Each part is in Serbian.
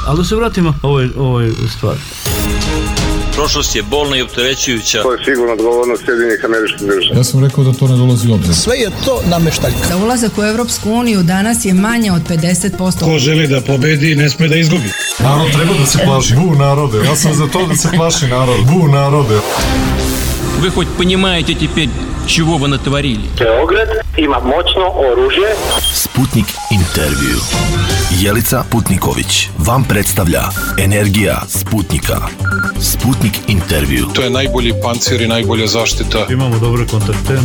Ali da se vratimo ovoj stvari. Prošlost je bolna i opterećujuća. To je sigurno odgovornost Sjedinjenih Američkih Država. Ja sam rekao da to ne dolazi u obzir. Sve je to nameštaljka. Da ulazak u Evropsku uniju danas je manje od 50%. Ko želi da pobedi, ne sme da izgubi. Narod treba da se plaši. Bu narode. Ja sam za to da se plaši narod. Bu narode. Вы хоть понимаете теперь, чего вы натворили? Beograd ima moćno oružje. Sputnik intervju. Jelica Putniković vam predstavlja Energija Sputnika. Sputnik intervju. To je najbolji pancir i najbolja zaštita. Imamo dobre kontakte.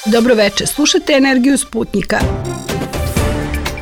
Dobro veče, slušate Energiju Sputnika.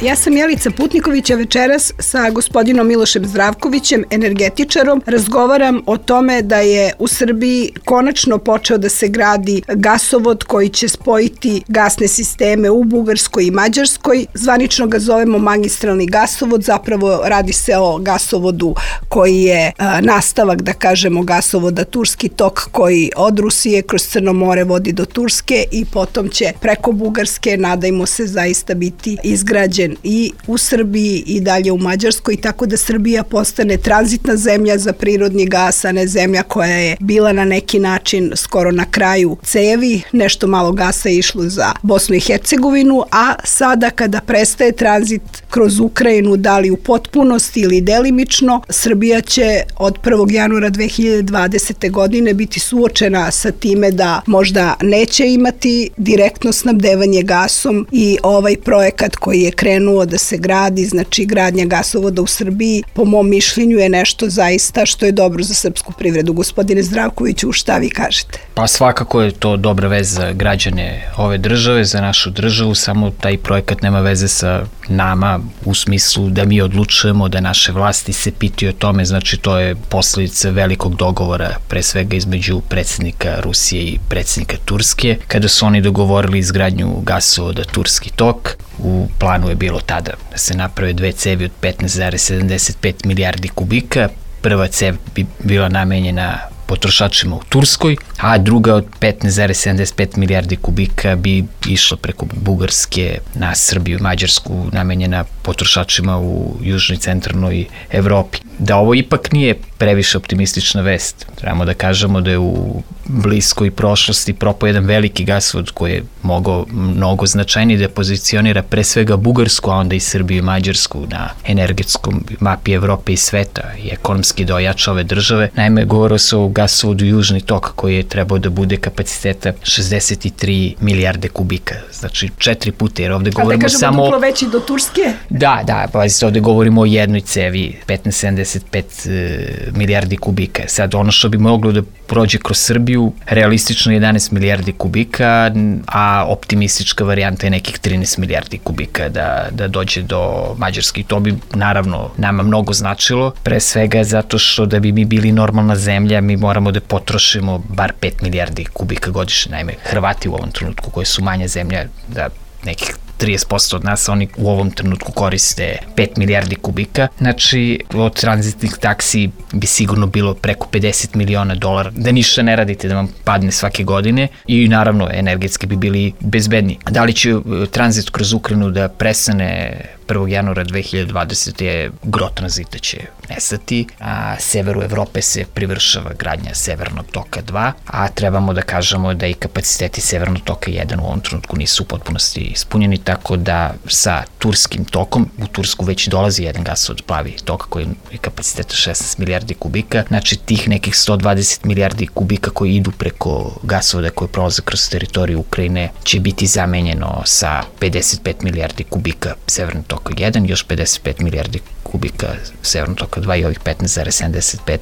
Ja sam Jelica Putniković, a večeras sa gospodinom Milošem Zdravkovićem, energetičarom, razgovaram o tome da je u Srbiji konačno počeo da se gradi gasovod koji će spojiti gasne sisteme u Bugarskoj i Mađarskoj. Zvanično ga zovemo magistralni gasovod, zapravo radi se o gasovodu koji je nastavak, da kažemo, gasovoda Turski tok koji od Rusije kroz Crno more vodi do Turske i potom će preko Bugarske, nadajmo se, zaista biti izgrađen i u Srbiji i dalje u Mađarskoj, tako da Srbija postane tranzitna zemlja za prirodni gas, a ne zemlja koja je bila na neki način skoro na kraju cevi, nešto malo gasa je išlo za Bosnu i Hercegovinu, a sada kada prestaje tranzit kroz Ukrajinu, da li u potpunosti ili delimično, Srbija će od 1. januara 2020. godine biti suočena sa time da možda neće imati direktno snabdevanje gasom i ovaj projekat koji je krenuo da se gradi, znači gradnja gasovoda u Srbiji, po mom mišljenju je nešto zaista što je dobro za srpsku privredu. Gospodine Zdravkoviću, šta vi kažete? Pa svakako je to dobra veza za građane ove države, za našu državu, samo taj projekat nema veze sa nama u smislu da mi odlučujemo, da naše vlasti se pitaju o tome, znači to je posledica velikog dogovora, pre svega između predsjednika Rusije i predsjednika Turske, kada su oni dogovorili izgradnju gasovoda Turski tok. U planu je bilo tada da se naprave dve cevi od 15,75 milijardi kubika. Prva cev bi bila namenjena potrošačima u Turskoj, a druga od 15,75 milijardi kubika bi išla preko Bugarske na Srbiju i Mađarsku, namenjena potrošačima u južnoj i centralnoj Evropi. Da ovo ipak nije previše optimistična vest. Trebamo da kažemo da je u bliskoj prošlosti propao jedan veliki gasovod koji je mogao mnogo značajnije da pozicionira pre svega Bugarsku, a onda i Srbiju i Mađarsku na energetskom mapi Evrope i sveta i ekonomski da ojača ove države. Naime, govorilo se o gasovodu Južni tok koji je trebao da bude kapaciteta 63 milijarde kubika. Znači 4 puta, jer ovde govorimo samo... A da kažemo duplo veći do Turske? Da, pazite, ovde govorimo o jednoj cevi, 15,75 milijardi kubika. Sad, ono što bi moglo da prođe kroz Srbiju, realistično 11 milijardi kubika, a optimistička varijanta je nekih 13 milijardi kubika da dođe do Mađarske. I to bi, naravno, nama mnogo značilo, pre svega zato što da bi mi bili normalna zemlja, mi moramo da potrošimo bar 5 milijardi kubika godišnje. Naime, Hrvati u ovom trenutku, koji su manja zemlja, da nekih 30% od nas, oni u ovom trenutku koriste 5 milijardi kubika. Znači, od tranzitnih taksi bi sigurno bilo preko 50 miliona dolara, da ništa ne radite, da vam padne svake godine i naravno energetski bi bili bezbedni. Da li će tranzit kroz Ukrajinu da prestane 1. januara 2020. je gro tranzita će nestati, a severu Evrope se privršava gradnja Severnog toka 2, a trebamo da kažemo da i kapaciteti Severnog toka 1 u ovom trenutku nisu u potpunosti ispunjeni, tako da sa Turskim tokom, u Tursku već dolazi jedan gasovod Plavi tok koji je kapaciteta 16 milijardi kubika, znači tih nekih 120 milijardi kubika koji idu preko gasovoda koji prolaze kroz teritoriju Ukrajine će biti zamenjeno sa 55 milijardi kubika Severnog toka 1, još 55 milijardi kubika Severnog toka 2 i ovih 15,75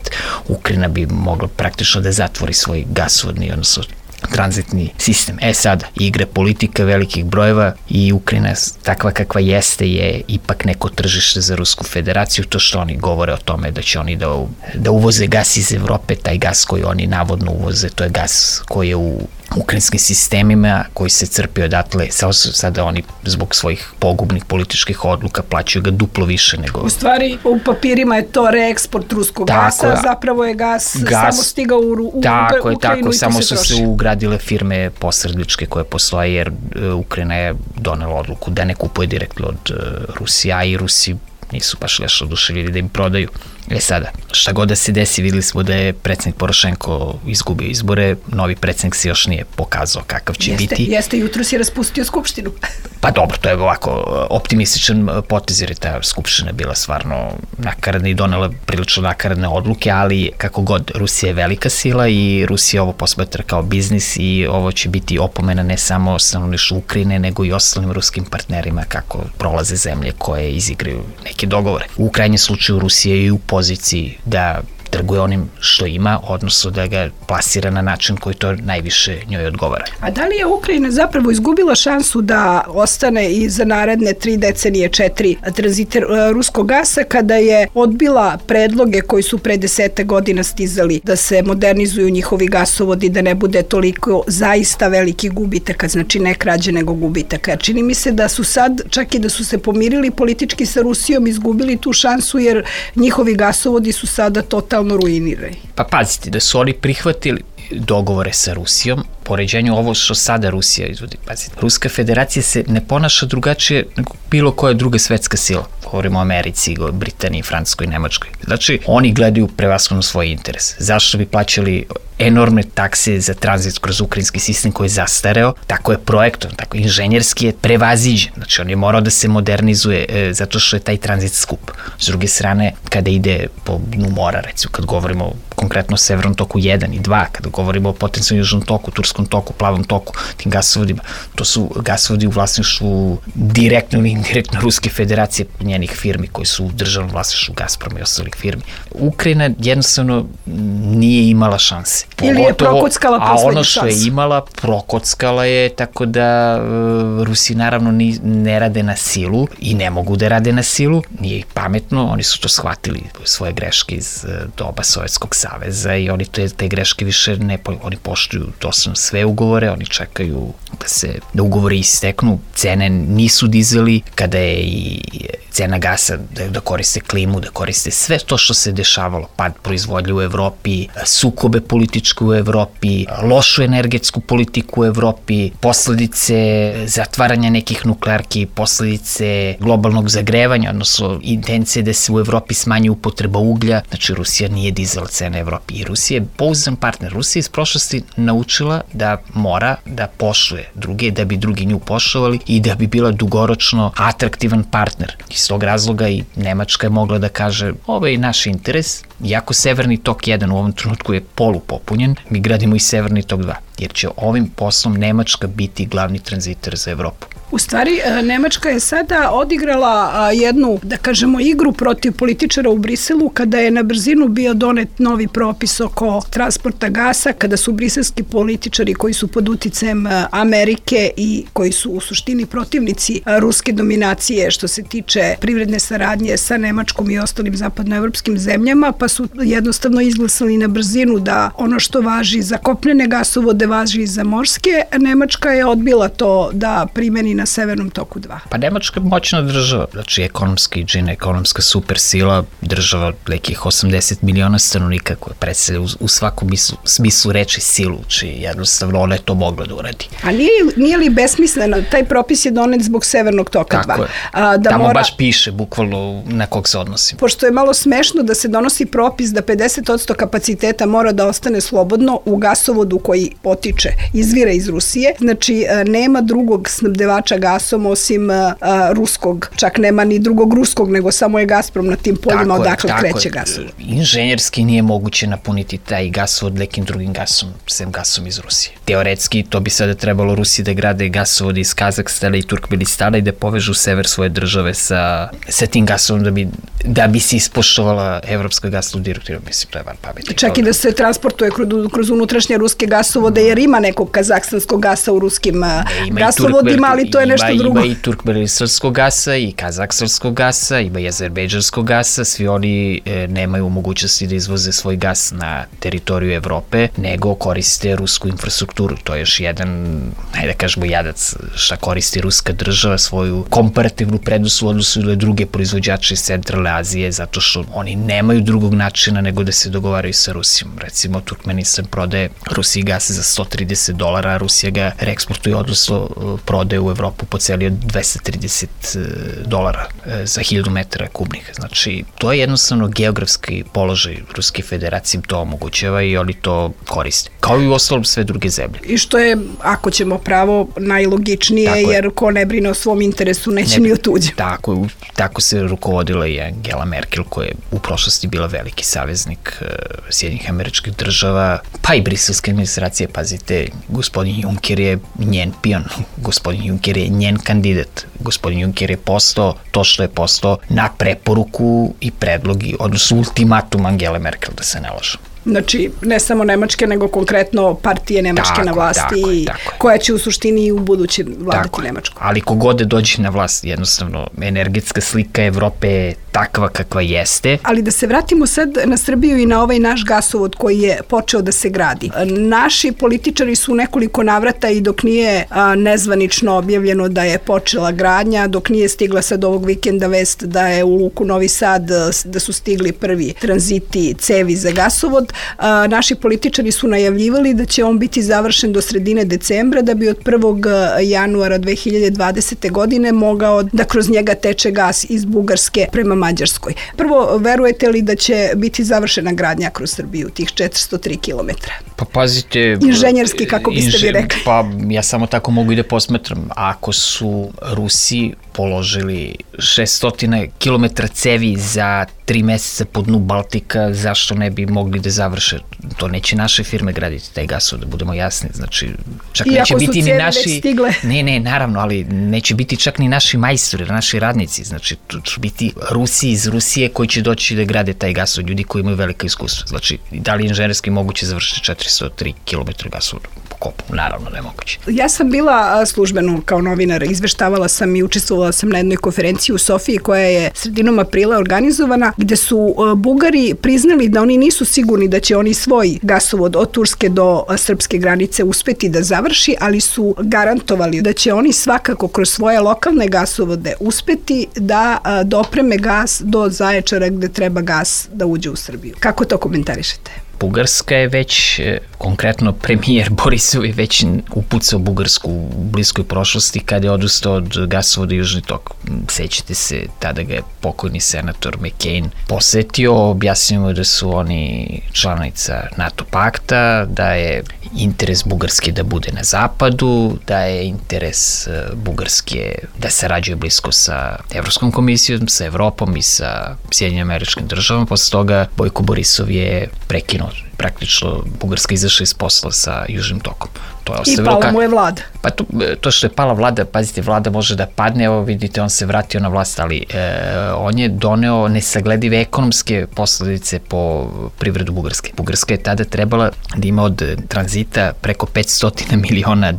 Ukrajina bi mogla praktično da zatvori svoj gasovodni, odnosno tranzitni sistem. Sad, igre politika velikih brojeva i Ukrajina takva kakva jeste je ipak neko tržište za Rusku federaciju, to što oni govore o tome da će oni da uvoze gas iz Evrope, taj gas koji oni navodno uvoze, to je gas koji je u ukrajinskim sistemima koji se crpio odatle, sada oni zbog svojih pogubnih političkih odluka plaćaju ga duplo više nego... U stvari, u papirima je to reeksport ruskog gasa, zapravo je gas samo stigao u Ukrajinu tako, i to se samo troši. su se ugradile firme posredničke koje postoje, jer Ukrajina je donela odluku da ne kupuje direktno od Rusija, i Rusi nisu baš još oduševljeni da im prodaju. Sada, šta god da se desi, videli smo da je predsjednik Porošenko izgubio izbore, novi predsjednik se još nije pokazao kakav će biti. Jeste, jutro si raspustio skupštinu. Pa dobro, to je ovako optimističan potez, jer je ta skupština bila stvarno nakaradna i donela prilično nakaradne odluke, ali kako god, Rusija je velika sila i Rusija ovo posmatra kao biznis i ovo će biti opomena ne samo stanovništvu Ukrajine, nego i ostalim ruskim partnerima kako prolaze zemlje koje izigraju neke dogovore. U krajnjem slučaju Rusija je u poziciji da trguje onim što ima, odnosno da ga plasira na način koji to najviše njoj odgovara. A da li je Ukrajina zapravo izgubila šansu da ostane i za naredne 3 decenije, 4 tranzite ruskog gasa, kada je odbila predloge koji su pre 10 godina stizali da se modernizuju njihovi gasovodi, da ne bude toliko zaista veliki gubitaka, znači ne krađe nego gubitaka. Čini mi se da su sad, čak i da su se pomirili politički sa Rusijom, izgubili tu šansu, jer njihovi gasovodi su sada totalno ruinirani. Pa pazite, da su oni prihvatili dogovore sa Rusijom, poređenju ovo što sada Rusija izvodi. Pazite, Ruska federacija se ne ponaša drugačije nego bilo koja druga svetska sila. Govorimo o Americi, Britaniji, Francuskoj, Nemačkoj. Znači, oni gledaju prevashodno svoj interes. Zašto bi plaćali enormne takse za tranzit kroz ukrajinski sistem koji je zastareo? Tako je projektovan, tako inženjerski je prevaziđen. Znači, on je morao da se modernizuje zato što je taj tranzit skup. S druge strane, kada ide po dnu mora, recimo, kad govorimo konkretno o Severnom toku 1 i 2, kada govorimo o potencijalnom Južnom toku, Turskom toku, Plavom toku, tim gasovodima, to su gasovodi u vlasništvu direktno ili indirektno Ruske federacije, njenih firmi koji su u državnom vlasništvu Gazproma i ostalih firmi. Ukrajina jednostavno nije imala šanse. Ili je prokockala poslednju šansu. A ono što je imala, prokockala je, tako da Rusi naravno ne rade na silu i ne mogu da rade na silu, nije ih pametno, oni su to shvatili, svoje greške iz doba Sovjetskog saveza, i oni te greške više oni poštuju doslovno sve ugovore, oni čekaju da ugovori isteknu, cene nisu dizali, kada je i cena gasa, da koriste klimu, da koriste sve to što se dešavalo, pad proizvodnje u Evropi, sukobe političke u Evropi, lošu energetsku politiku u Evropi, posledice zatvaranja nekih nuklearki, posledice globalnog zagrevanja, odnosno intencije da se u Evropi smanji upotreba uglja. Znači, Rusija nije dizala cene Evropi i Rusija je pouzdan partner. Rusija iz prošlosti naučila da mora da poštuje druge, da bi drugi nju poštovali i da bi bila dugoročno atraktivan partner. Iz tog razloga i Nemačka je mogla da kaže, ovo je naš interes, iako Severni tok 1 u ovom trenutku je polupopunjen, mi gradimo i Severni tok 2, jer će ovim poslom Nemačka biti glavni tranziter za Evropu. U stvari, Nemačka je sada odigrala jednu, da kažemo, igru protiv političara u Briselu, kada je na brzinu bio donet novi propis oko transporta gasa, kada su briselski političari koji su pod uticajem Amerike i koji su u suštini protivnici ruske dominacije što se tiče privredne saradnje sa Nemačkom i ostalim zapadnoevropskim zemljama, pa su jednostavno izglasali na brzinu da ono što važi za kopnene gasovode važi i za morske. Nemačka je odbila to da primeni na Severnom toku 2. Pa Nemačka je moćna država, znači ekonomski džina, ekonomska supersila, država od nekih 80 miliona stanovnika koja predstavlja u svakom smislu reči silu, či jednostavno ona je to mogla da uradi. A nije li besmisleno, taj propis je donet zbog Severnog toka 2? Tako je. Tamo baš piše bukvalno na kog se odnosi. Pošto je malo smešno da se donosi propis da 50% kapaciteta mora da ostane slobodno u gasovodu koji potiče, izvira iz Rusije, znači nema drugog snabdevača gasom osim ruskog, čak nema ni drugog ruskog, nego samo je Gazprom na tim poljima odakle kreće gasovod. Inženjerski nije moguće napuniti taj gasovod nekim drugim gasom, sem gasom iz Rusije. Teoretski to bi sada trebalo Rusiji da grade gasovod iz Kazahstana i Turkmenistana i da povežu sever svoje države sa tim gasovom da bi se ispoštovala evropska gasna direktiva, mislim, to je van pameti. Čak i da se transportuje kroz unutrašnje ruske gasovode, jer ima nekog kazahstanskog gasa u ruskim gasovodima, ali to je nešto drugo. Ima i turkmenistanskog gasa, i kazahstanskog gasa, ima i azerbejdžanskog gasa, svi oni nemaju mogućnosti da izvoze svoj gas na teritoriju Evrope, nego koriste rusku infrastrukturu. To je još jedan, da kažemo, jadac šta koristi ruska država, svoju komparativnu prednost u odnosu na druge proizvođače iz Centralne Azije, zato što oni nemaju drugog načina nego da se dogovaraju sa Rusijom. Recimo, Turkmenistan prodaje Rusiji gas za $130, a Rusija ga reeksportuje, odnosno prodaje u Evropu po celi od $230 za 1000 metara kubnih. Znači, to je jednostavno geografski položaj Ruske federacije, to omogućava i oni to koriste. Kao i u ostalom sve druge zemlje. I što je, ako ćemo pravo, najlogičnije, jer ko ne brine o svom interesu, neće ni o tuđem. Tako se rukovodila i Angela Merkel, koja je u prošlosti bila veliki saveznik Sjedinjenih Američkih Država, pa i briselske administracije. Pazite, gospodin Juncker je njen pion, gospodin Juncker je njen kandidat, gospodin Juncker je postao to što je postao na preporuku i predlog, odnosno ultimatum Angele Merkel, da se ne lažem. Znači, ne samo Nemačke, nego konkretno partije Nemačke na vlasti, koja će u suštini u buduće vladati Nemačku. Ali kogode dođe na vlast, jednostavno, energetska slika Evrope je takva kakva jeste. Ali da se vratimo sad na Srbiju i na ovaj naš gasovod koji je počeo da se gradi. Naši političari su u nekoliko navrata, i dok nije nezvanično objavljeno da je počela gradnja, dok nije stigla sad ovog vikenda vest da je u luku Novi Sad, da su stigli prvi tranziti cevi za gasovod, naši političari su najavljivali da će on biti završen do sredine decembra, da bi od 1. januara 2020. godine mogao da kroz njega teče gas iz Bugarske prema Mađarskoj. Prvo, verujete li da će biti završena gradnja kroz Srbiju, tih 403 kilometra? Pa pazite... Inženjerski, kako biste vi rekli? Pa ja samo tako mogu i da posmatram. Ako su Rusi položili 600 km cevi za 3 meseca po dnu Baltika, zašto ne bi mogli da završe? To neće naše firme graditi, taj gasovod, da budemo jasni. Znači, čak neće biti ni naši... Ne, naravno, ali neće biti čak ni naši majstori, naši radnici. Znači, to će biti Rusi iz Rusije koji će doći da grade taj gasovod, ljudi koji imaju velika iskustva. Znači, da li inženjerski moguće završiti 403 km gasovoda po kopu? Naravno, nemoguće. Ja sam bila službeno kao novinar, izveštavala sam i učestvovala sam na jednoj konferenciji u Sofiji koja je sredinom aprila organizovana, gde su Bugari priznali da oni nisu sigurni da će oni svoj gasovod od Turske do srpske granice uspeti da završi, ali su garantovali da će oni svakako kroz svoje lokalne gasovode uspeti da dopreme gas do Zaječara gde treba gas da uđe u Srbiju. Kako to komentarišete? Bugarska je već, konkretno premijer Borisov je već upucao Bugarsku u bliskoj prošlosti kada je odustao od gasovoda Južni tok. Sećate se, tada ga je pokojni senator McCain posetio, objasnio mu da su oni članica NATO pakta, da je interes Bugarske da bude na zapadu, da je interes Bugarske da sarađuje blisko sa Evropskom komisijom, sa Evropom i sa Sjedinjenim Američkim Državama. Posle toga Bojko Borisov je prekinuo. Praktično Bugarska izašla iz posla sa Južnim tokom. I pala mu je vlada. Pa to što je pala vlada, pazite, vlada može da padne, evo vidite, on se vratio na vlast, ali on je doneo nesagledive ekonomske posledice po privredu Bugarske. Bugarska je tada trebala da ima od tranzita preko $500 miliona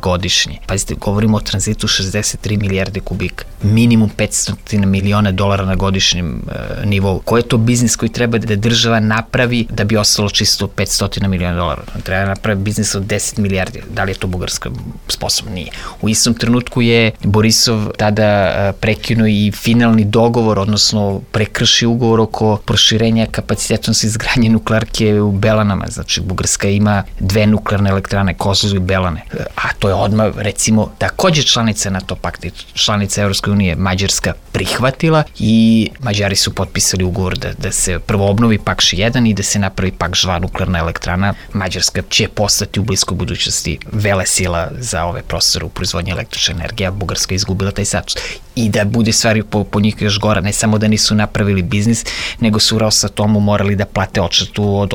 godišnje. Pazite, govorimo o tranzitu 63 milijarde kubika. Minimum $500 miliona na godišnjem nivou. Koji je to biznis koji treba da država napravi da bi ostalo čisto $500 miliona? Treba napravi biznis od 10 milijardi. Da li je to Bugarska sposobna? Nije. U istom trenutku je Borisov tada prekinuo i finalni dogovor, odnosno prekršio ugovor oko proširenja kapaciteta izgradnje nuklearke u Belanama. Znači, Bugarska ima 2 nuklearne elektrane, Kozloduj i Belane. A to je odmah, recimo, takođe članica NATO pakta, članica Evropske unije, Mađarska prihvatila i Mađari su potpisali ugovor da se prvo obnovi Pakš 1 i da se napravi Pakš 2 nuklearna elektrana. Mađarska će postati u bliskoj budućnosti velesila za ove prostore u proizvodnji električne energije, a Bugarska je izgubila taj status. I da bude stvari po njih još gora, ne samo da nisu napravili biznis, nego su u Rosatomu morali da plate odštetu od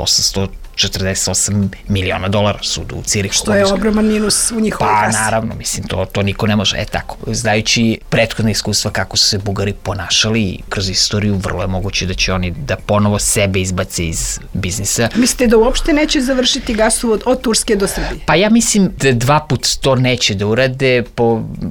$48 miliona sudu u Cirihu. Što je ogroman minus u njihovoj kasi. Pa naravno, mislim, to niko ne može. Tako, znajući prethodne iskustva kako su se Bugari ponašali kroz istoriju, vrlo je moguće da će oni da ponovo sebe izbace iz biznisa. Mislite da uopšte neće završiti gasovod od Turske do Srbije? Pa ja mislim da 2 puta to neće da urade.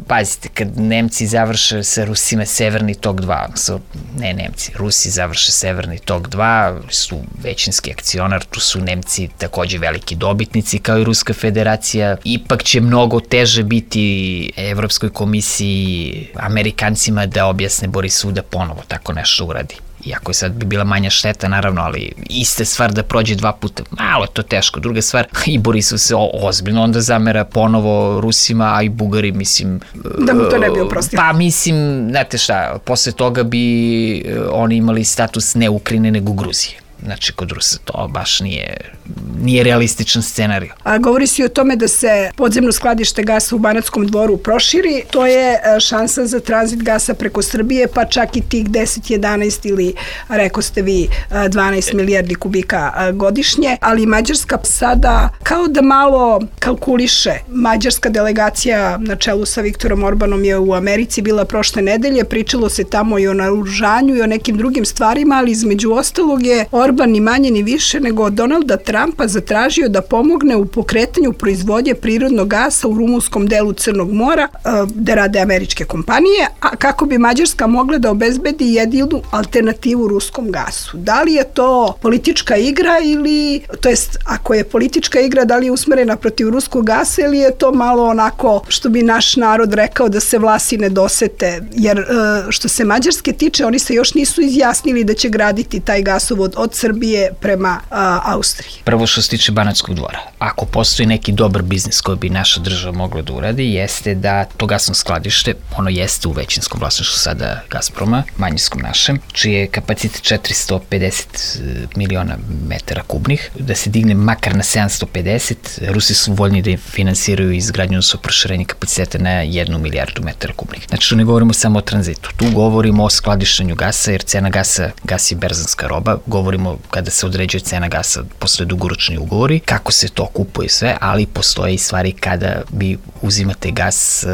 Pazite, kad Nemci završe sa Rusima Severni tok 2, ne Nemci, Rusi završe Severni tok 2, su većinski akcionar, tu su Nemci takođe veliki dobitnici kao i Ruska federacija. Ipak će mnogo teže biti Evropskoj komisiji, Amerikancima da objasne Borisu da ponovo tako nešto uradi. Iako je sad bi bila manja šteta, naravno, ali ista stvar da prođe 2 puta, malo je to teško. Druga stvar, i Borisov se ozbiljno onda zamera ponovo Rusima, a i Bugari, mislim... Da mu to ne bi oprostio. Pa mislim, znate šta, posle toga bi oni imali status ne Ukrajine, nego Gruzije. Znači, kod Rusa to baš nije realističan scenarij. A govori se o tome da se podzemno skladište gasa u Banatskom Dvoru proširi. To je šansa za tranzit gasa preko Srbije, pa čak i tih 10, 11 ili, rekao ste vi, 12 milijardi kubika godišnje. Ali Mađarska sada kao da malo kalkuliše. Mađarska delegacija na čelu sa Viktorom Orbanom je u Americi bila prošle nedelje. Pričalo se tamo i o naoružanju i o nekim drugim stvarima, ali između ostalog je Orban ni manje ni više nego od Donalda Trumpa zatražio da pomogne u pokretanju proizvodnje prirodnog gasa u rumunskom delu Crnog mora, gde rade američke kompanije, a kako bi Mađarska mogla da obezbedi jedinu alternativu ruskom gasu. Da li je to politička igra ili, to jest, ako je politička igra, da li je usmerena protiv ruskog gasa ili je to malo onako, što bi naš narod rekao, da se vlasi ne dosete, jer što se Mađarske tiče, oni se još nisu izjasnili da će graditi taj gasovod od Srbije prema Austriji. Prvo što se tiče Banatskog Dvora, ako postoji neki dobar biznis koji bi naša država mogla da uradi, jeste da to gasno skladište, ono jeste u većinskom vlasništvu sada Gazproma, manjinskom našem, čiji je kapacitet 450 miliona metara kubnih, da se digne makar na 750, Rusi su voljni da finansiraju izgradnju svog proširenja kapaciteta na 1 milijardu metara kubnih. Znači, tu ne govorimo samo o tranzitu, tu govorimo o skladištenju gasa, jer cena gasa, gas je berzanska roba, govorimo kada se određuje cena gasa posle dugoročni ugovori, kako se to kupuje sve, ali postoje i stvari kada vi uzimate gas,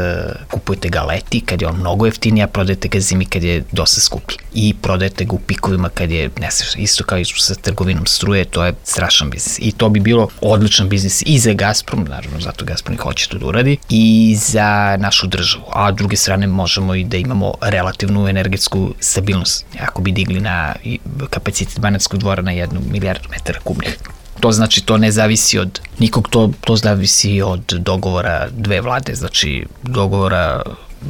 kupujete ga leti, kad je on mnogo jeftiniji, a prodajete ga zimi kad je dosta skuplji. I prodajete ga u pikovima kad je nesrećno. Isto kao i sa trgovinom struje, to je strašan biznis. I to bi bilo odličan biznis i za Gazprom, naravno zato Gazprom i hoće to da uradi, i za našu državu. A s druge strane možemo i da imamo relativnu energetsku stabilnost. Ako bi digli na kapacitet Banatskog Dvora na 1 milijardu metara kubnih. To znači, to ne zavisi od nikog, to zavisi od dogovora dve vlade, znači dogovora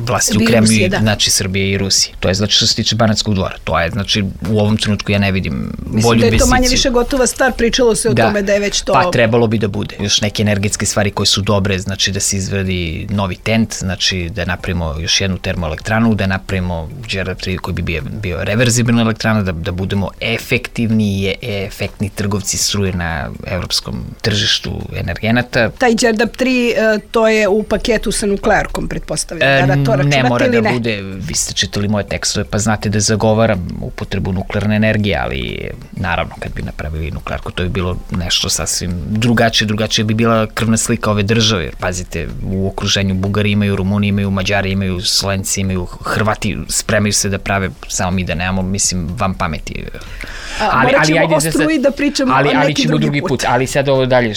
vlasti u Kremlju, znači Srbije i Rusije. To je znači što se tiče Banatskog Dvora. To je znači u ovom trenutku ja ne vidim bolju investiciju. Mislim da je to manje više gotova stvar, pričalo se o tome da je već to... Pa trebalo bi da bude. Još neke energetske stvari koje su dobre, znači da se izvradi novi TENT, znači da napravimo još jednu termoelektranu, da napravimo Đerdap 3 koji bi bio reverzibilna elektrana, da budemo efektivni i efektni trgovci struje na evropskom tržištu energenata. Taj Đerdap 3, to je u paketu sa nuklearkom, pretpostavljam. Ne mora da bude, vi ste čitali moje tekstove, pa znate da zagovaram upotrebu nuklearne energije, ali naravno kad bi napravili nuklearku, to bi bilo nešto sasvim drugačije bi bila krvna slika ove države, jer pazite, u okruženju Bugari imaju, Rumuni imaju, Mađari imaju, Slovenci imaju, Hrvati spremaju se da prave, samo mi da nemamo, mislim, vam pameti. Morat ćemo o struji da pričamo neki drugi put. Ali sad ovo dalje,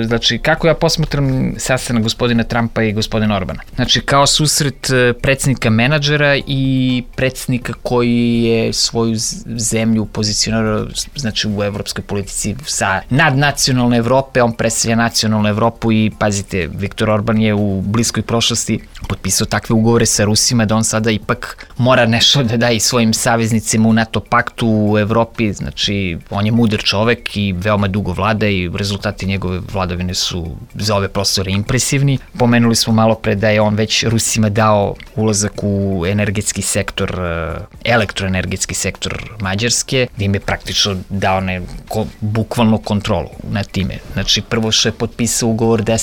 znači kako ja posmatram sastanak gospodina Trumpa i gospodina Orbana? Znači kao susret predsjednika menadžera i predsjednika koji je svoju zemlju pozicionirao, znači u evropskoj politici sa nadnacionalne Evrope, on predstavlja nacionalnu Evropu i pazite, Viktor Orban je u bliskoj prošlosti potpisao takve ugovore sa Rusima da on sada ipak mora nešto da daje svojim saveznicima u NATO paktu u Evropi, znači on je mudar čovek i veoma dugo vlada i rezultati njegove vladavine su za ove prostore impresivni. Pomenuli smo malo pre da je on već Rusima dao dao ulazak u energetski sektor, elektroenergetski sektor Mađarske, gde im je praktično dao bukvalno kontrolu nad time. Znači, prvo što je potpisao ugovor da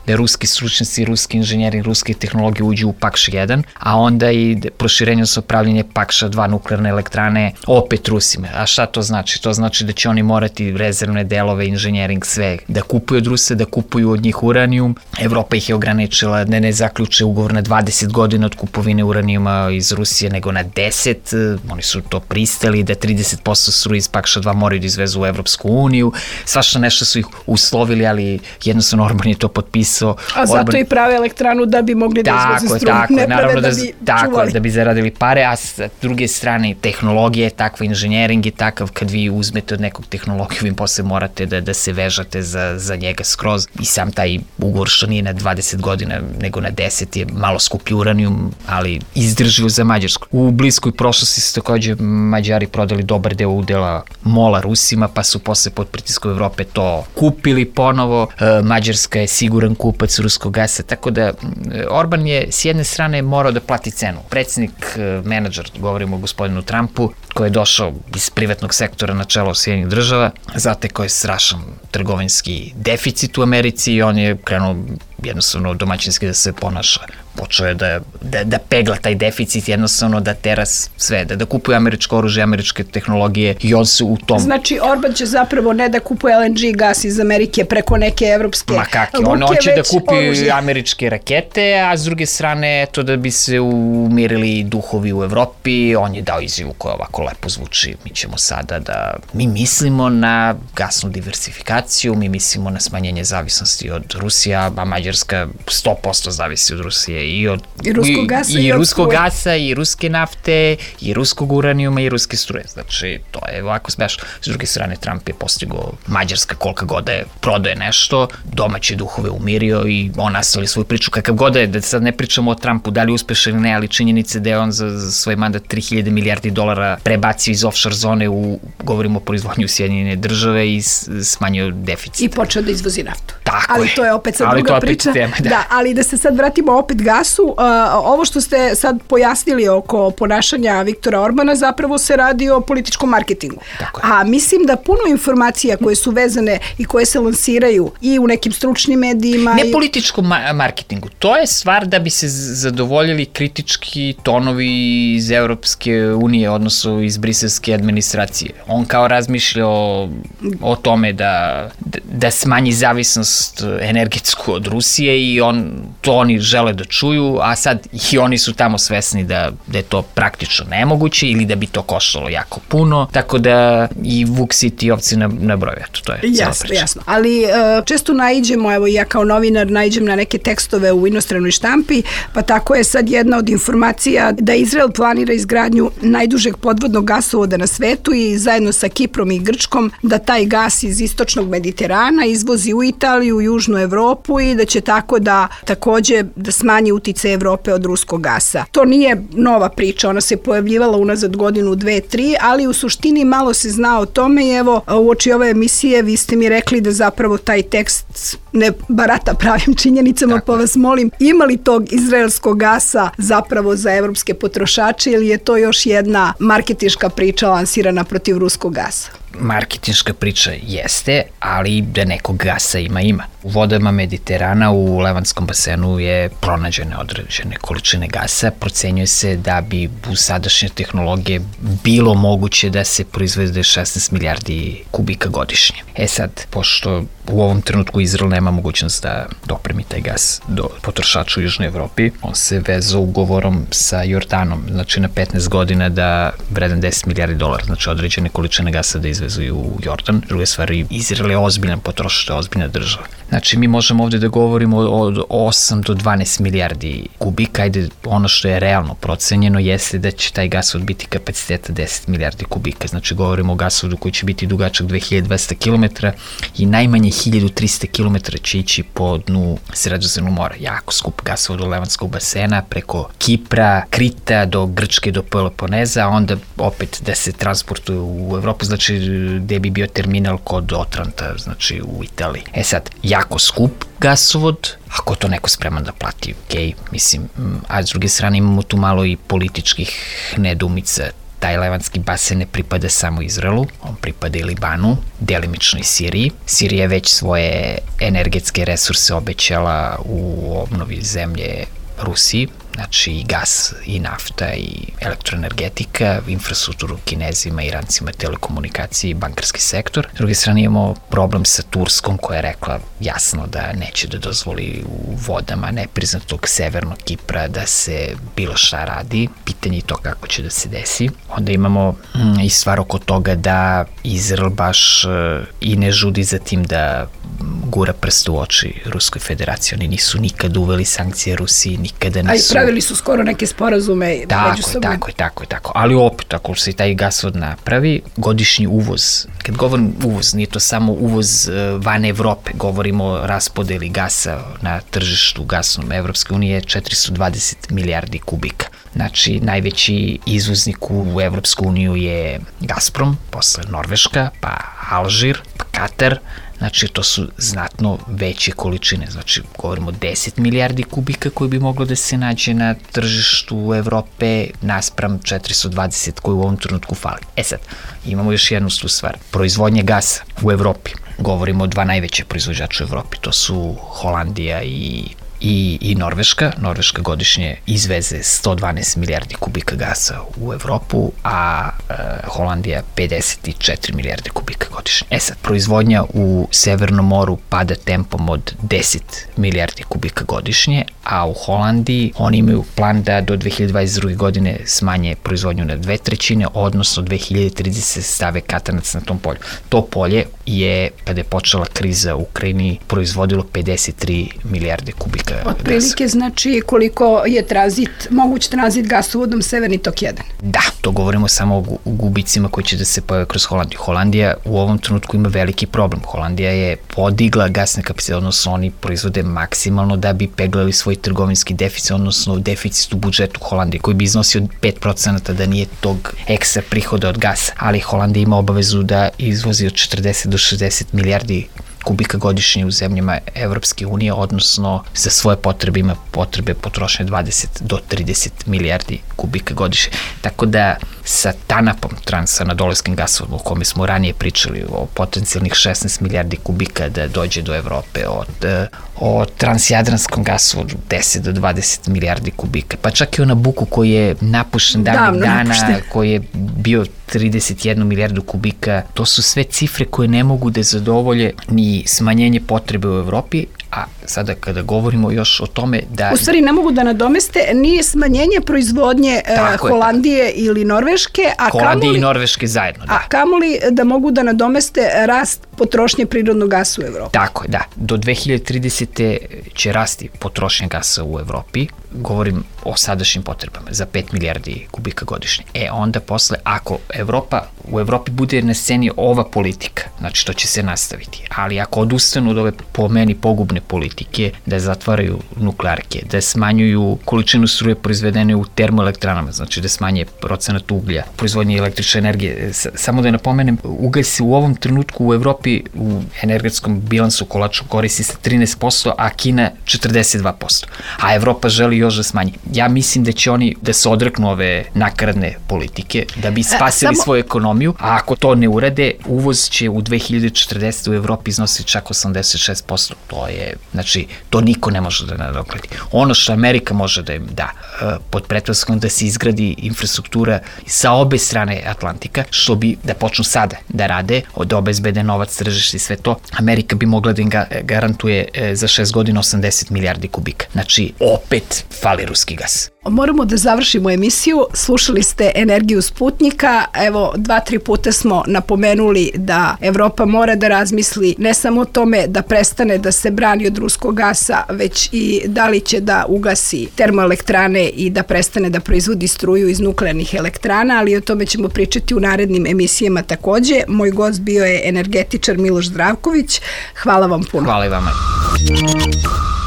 ruski stručnjaci, ruski inženjeri, ruske tehnologije uđu u Pakš 1, a onda i proširenje sa upravljanje Pakša 2 nuklearne elektrane opet Rusima. A šta to znači? To znači da će oni morati rezervne delove, inženjering, sve da kupuju od Rusa, da kupuju od njih uranijum. Evropa ih je ograničila da ne zaključe ugovor na 20 godina od kupovine uranijuma iz Rusije, nego na 10. Oni su to pristali, da 30% struje iz Pakša 2 moraju da izvezu u Evropsku uniju. Svašta nešto su ih uslovili, ali jednostavno Orban je to potpisao. A zato i prave elektranu da bi mogli da izveze struju, ne prave da bi čuvali. Da bi zaradili pare, a s druge strane tehnologija je takva, inženjering je takav, kad vi uzmete od nekog tehnologiju, vi posle morate da se vežate za njega skroz. I sam taj ugovor što nije na 20 godina, nego na 10 je malo skuplji uranijum, ali izdrživo za Mađarsku. U bliskoj prošlosti su takođe Mađari prodali dobar deo udela MOL-a Rusima, pa su posle pod pritiskom Evrope to kupili ponovo. Mađarska je siguran kupac ruskog gasa, tako da Orban je s jedne strane morao da plati cenu. Predsjednik, menadžer, govorimo o gospodinu Trumpu, koji je došao iz privatnog sektora na čelo Sjedinjenih država, zatekao je strašan trgovinski deficit u Americi i on je krenuo jednostavno domaćinski da se ponaša. Počeo je da pegla taj deficit, jednostavno da tera sve, da kupuje američko oružje, američke tehnologije i on se u tom... Znači, Orban će zapravo ne da kupuje LNG gas iz Amerike preko neke evropske luke, on će da kupi američke rakete, a s druge strane, eto da bi se umirili duhovi u Evropi, on je dao izjavu koja ovako lepo zvuči, mi ćemo sada da... Mi mislimo na gasnu diversifikaciju, mi mislimo na smanjenje zavisnosti od Rusija, a Mađarska 100% zavisi od Rusije i ruskog gasa i ruske nafte i ruskog uranijuma i ruske struje. Znači, to je ovako smešno. S druge strane, Trump je postigao Mađarska kolika god je prodaje nešto, domaće duhove umirio i on nastavili svoju priču kakav god je, da sad ne pričamo o Trumpu, da li uspešan ili ne, ali činjenice da je on za svoj mandat 3000 milijardi dolara prebacio iz offshore zone govorimo o proizvodnju Sjedinjene države i smanjio deficit. I počeo da izvozi naftu. Tako ali to je opet sad druga priča. Tema, da, ali da se sad vratimo opet gasu, ovo što ste sad pojasnili oko ponašanja Viktora Orbana zapravo se radi o političkom marketingu. A mislim da puno informacija koje su vezane i koje se lansiraju i u nekim stručnim medijima... Ne političkom marketingu, to je stvar da bi se zadovoljili kritički tonovi iz Evropske unije, odnosno iz briselske administracije. On kao razmišlja o tome da smanji zavisnost energetsku od Rusije i to oni žele da čuju, a sad i oni su tamo svesni da je to praktično nemoguće ili da bi to koštalo jako puno, tako da i Vuk siti i ovci na broju, eto, to je cijela priča. Jasno, ali često naiđemo, evo ja kao novinar naiđem na neke tekstove u inostranoj štampi, pa tako je sad jedna od informacija da Izrael planira izgradnju najdužeg podvodnog gasovoda na svetu i zajedno sa Kiprom i Grčkom da taj gas iz istočnog Mediterana izvozi u Italiju, u Južnu Evropu i da će tako da takođe da smanji utice Evrope od ruskog gasa. To nije nova priča, ona se pojavljivala unazad godinu, 2, 3, ali u suštini malo se zna o tome i evo uoči ove emisije vi ste mi rekli da zapravo taj tekst ne barata pravim činjenicama, pa vas molim, ima li tog izraelskog gasa zapravo za evropske potrošače ili je to još jedna marketinška priča lansirana protiv ruskog gasa? Marketinška priča jeste, ali da nekog gasa ima. U vodama Mediterana u Levanskom basenu je pronađene određene količine gasa. Procenjuje se da bi u sadašnje tehnologije bilo moguće da se proizvede 16 milijardi kubika godišnje. Sad, pošto u ovom trenutku Izrael nema mogućnost da dopremi taj gas do potrošača u Južnoj Evropi, on se vezao ugovorom sa Jordanom, znači na 15 godina da vredan 10 milijardi dolara, znači određene količine gasa da izvezuju u Jordan. Druga stvar, Izrael je ozbiljan potrošač, to je ozbiljna država. Znači, mi možemo ovde da govorimo od 8 do 12 milijardi kubika, ajde, ono što je realno procenjeno jeste da će taj gasovod biti kapaciteta 10 milijardi kubika, znači govorimo o gasovodu koji će biti dugačak 2200 km i najmanje 1300 km će ići po dnu Sredozemnog mora. Jako skup gasovod do Levanskog basena, preko Kipra, Krita do Grčke, do Peloponeza, a onda opet da se transportuje u Evropu, znači gde bi bio terminal kod Otranta, znači u Italiji. Sad, jako skup gasovod, ako to neko spreman da plati, okej, mislim, a s druge strane imamo tu malo i političkih nedumica. Taj Levanski basen ne pripada samo Izraelu, on pripada i Libanu, delimično i Siriji. Sirija je već svoje energetske resurse obećala u obnovi zemlje Rusiji, znači i gas, i nafta, i elektroenergetika, infrastrukturu Kinezima, Irancima, telekomunikacije i bankarski sektor. S druge strane imamo problem sa Turskom koja je rekla jasno da neće da dozvoli u vodama nepriznatog severnog Kipra da se bilo šta radi. Pitanje je to kako će da se desi. Onda imamo i stvar oko toga da Izrael baš i ne žudi za tim da gura prst u oči Ruskoj federaciji. Oni nisu nikad uveli sankcije Rusiji, nikada nisu... A i pravili su skoro neke sporazume međusobne. Tako. Ali opet, ako se taj gasovod napravi, godišnji uvoz, kad govorim uvoz, nije to samo uvoz van Evrope, govorimo o raspodeli gasa na tržištu gasnom Evropske unije, 420 milijardi kubika. Znači, najveći izvoznik u Evropsku uniju je Gazprom, posle Norveška, pa Alžir, pa Katar. Znači, to su znatno veće količine. Znači, govorimo 10 milijardi kubika koji bi moglo da se nađe na tržištu Evrope naspram 420 koji u ovom trenutku fali. Sad, imamo još jednu stvar. Proizvodnje gasa u Evropi. Govorimo o dva najveće proizvođača u Evropi. To su Holandija i Norveška. Norveška godišnje izveze 112 milijardi kubika gasa u Evropu, a Holandija 54 milijarde kubika godišnje. Sad, proizvodnja u Severnom moru pada tempom od 10 milijardi kubika godišnje, a u Holandiji oni imaju plan da do 2022. godine smanje proizvodnju na 2/3, odnosno 2030 stave katanac na tom polju. To polje je, kada je počela kriza u Ukrajini, proizvodilo 53 milijarde kubika gasa. Otprilike znači koliko je moguć tranzit gasovodom Severni tok 1. Da, to govorimo samo o gubicima koji će da se pojave kroz Holandiju. Holandija u ovom trenutku ima veliki problem. Holandija je podigla gasne kapacitete, odnosno oni proizvode maksimalno da bi peglali svoj trgovinski deficit, odnosno deficit u budžetu Holandije, koji bi iznosio 5% da nije tog ekstra prihoda od gasa. Ali Holandija ima obavezu da izvozi od 40 do 60 milijardi kubika godišnje u zemljama Evropske unije, odnosno za svoje potrebe ima potrebe potrošnje 20 do 30 milijardi kubika godišnje. Tako da sa TANAP-om, transanadolskim gasovodom, o kome smo ranije pričali, o potencijalnih 16 milijardi kubika da dođe do Evrope, o transjadranskom gasovodu 10 do 20 milijardi kubika, pa čak i o Nabuku koji je napušten davnih dana, koji je bio 31 milijardu kubika, to su sve cifre koje ne mogu da zadovolje ni smanjenje potrebe u Evropi, a sada kada govorimo još o tome da... U stvari ne mogu da nadomeste ni smanjenje proizvodnje Holandije ili Norveške, Holandije i Norveške zajedno, da. A kamoli da mogu da nadomeste rast potrošnje prirodnog gasa u Evropi. Tako je, da. Do 2030. će rasti potrošnja gasa u Evropi, govorim o sadašnjim potrebama, za 5 milijardi kubika godišnje. Onda posle, ako u Evropi bude na sceni ova politika, znači to će se nastaviti, ali ako odustanu od ove po meni pogubne politike, da zatvaraju nuklearke, da smanjuju količinu struje proizvedene u termoelektranama, znači da smanje procenat uglja, proizvodnje električne energije. Samo da napomenem, ugalj se u ovom trenutku u Evropi u energetskom bilansu kolaču koristi sa 13%, a Kina 42%. A Evropa želi još da smanji. Ja mislim da će oni da se odreknu ove nakaradne politike, da bi spasili svoju ekonomiju, a ako to ne urade, uvoz će u 2040. u Evropi iznositi čak 86%. To je, znači, to niko ne može da nadoknadi. Ono što Amerika može da im da, pod pretpostavkom da se izgradi infrastruktura sa obe strane Atlantika, što bi da počnu sada da rade, da obezbede novac, tržište i sve to, Amerika bi mogla da im garantuje za 6 godina 80 milijardi kubika. Znači, opet fali ruski gas. Moramo da završimo emisiju. Slušali ste Energiju Sputnika. Evo, 2-3 puta smo napomenuli da Evropa mora da razmisli ne samo o tome da prestane da se brani od ruskog gasa, već i da li će da ugasi termoelektrane i da prestane da proizvodi struju iz nuklearnih elektrana, ali o tome ćemo pričati u narednim emisijama takođe. Moj gost bio je energetičar Miloš Zdravković. Hvala vam puno. Hvala i vama.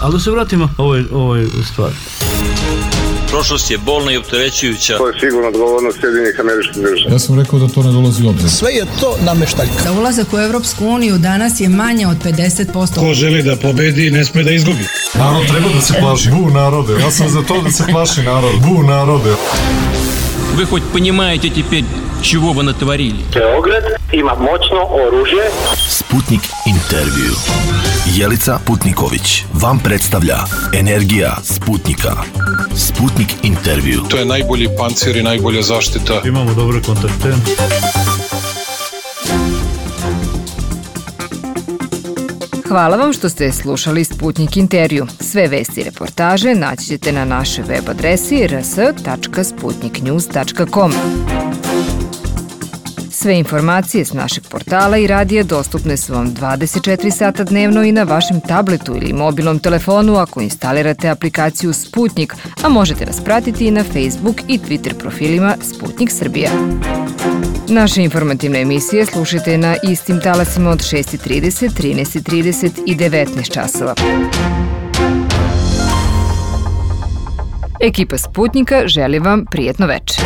Ali da se vratimo ovoj stvari. Prošlost je bolna i opterećujuća. To je sigurno odgovornost Sjedinjenih Američkih Država. Ja sam rekao da to ne dolazi u obzir. Sve je to nameštaljka. Za ulazak u Evropsku uniju danas je manje od 50%. Ko želi da pobedi, ne sme da izgubi. Narod treba da se plaši. Bu narode, ja sam za to da se plaši narod. Bu narode. Вы хоть понимаете теперь, чего вы натворили? Beograd ima moćno oružje. Sputnik intervju. Jelica Putniković vam predstavlja Energija Sputnika. Sputnik intervju. To je najbolji pancir i najbolja zaštita. Imamo dobre kontakte. Hvala vam što ste slušali Sputnik intervju. Sve vesti i reportaže naći ćete na našoj web adresi rs.sputniknews.com. Sve informacije s našeg portala i radija dostupne su vam 24 sata dnevno i na vašem tabletu ili mobilnom telefonu ako instalirate aplikaciju Sputnik, a možete nas pratiti i na Facebook i Twitter profilima Sputnik Srbija. Naše informativne emisije slušajte na istim talasima od 6:30, 13:30 i 19 časova. Ekipa Sputnika želi vam prijetno večer.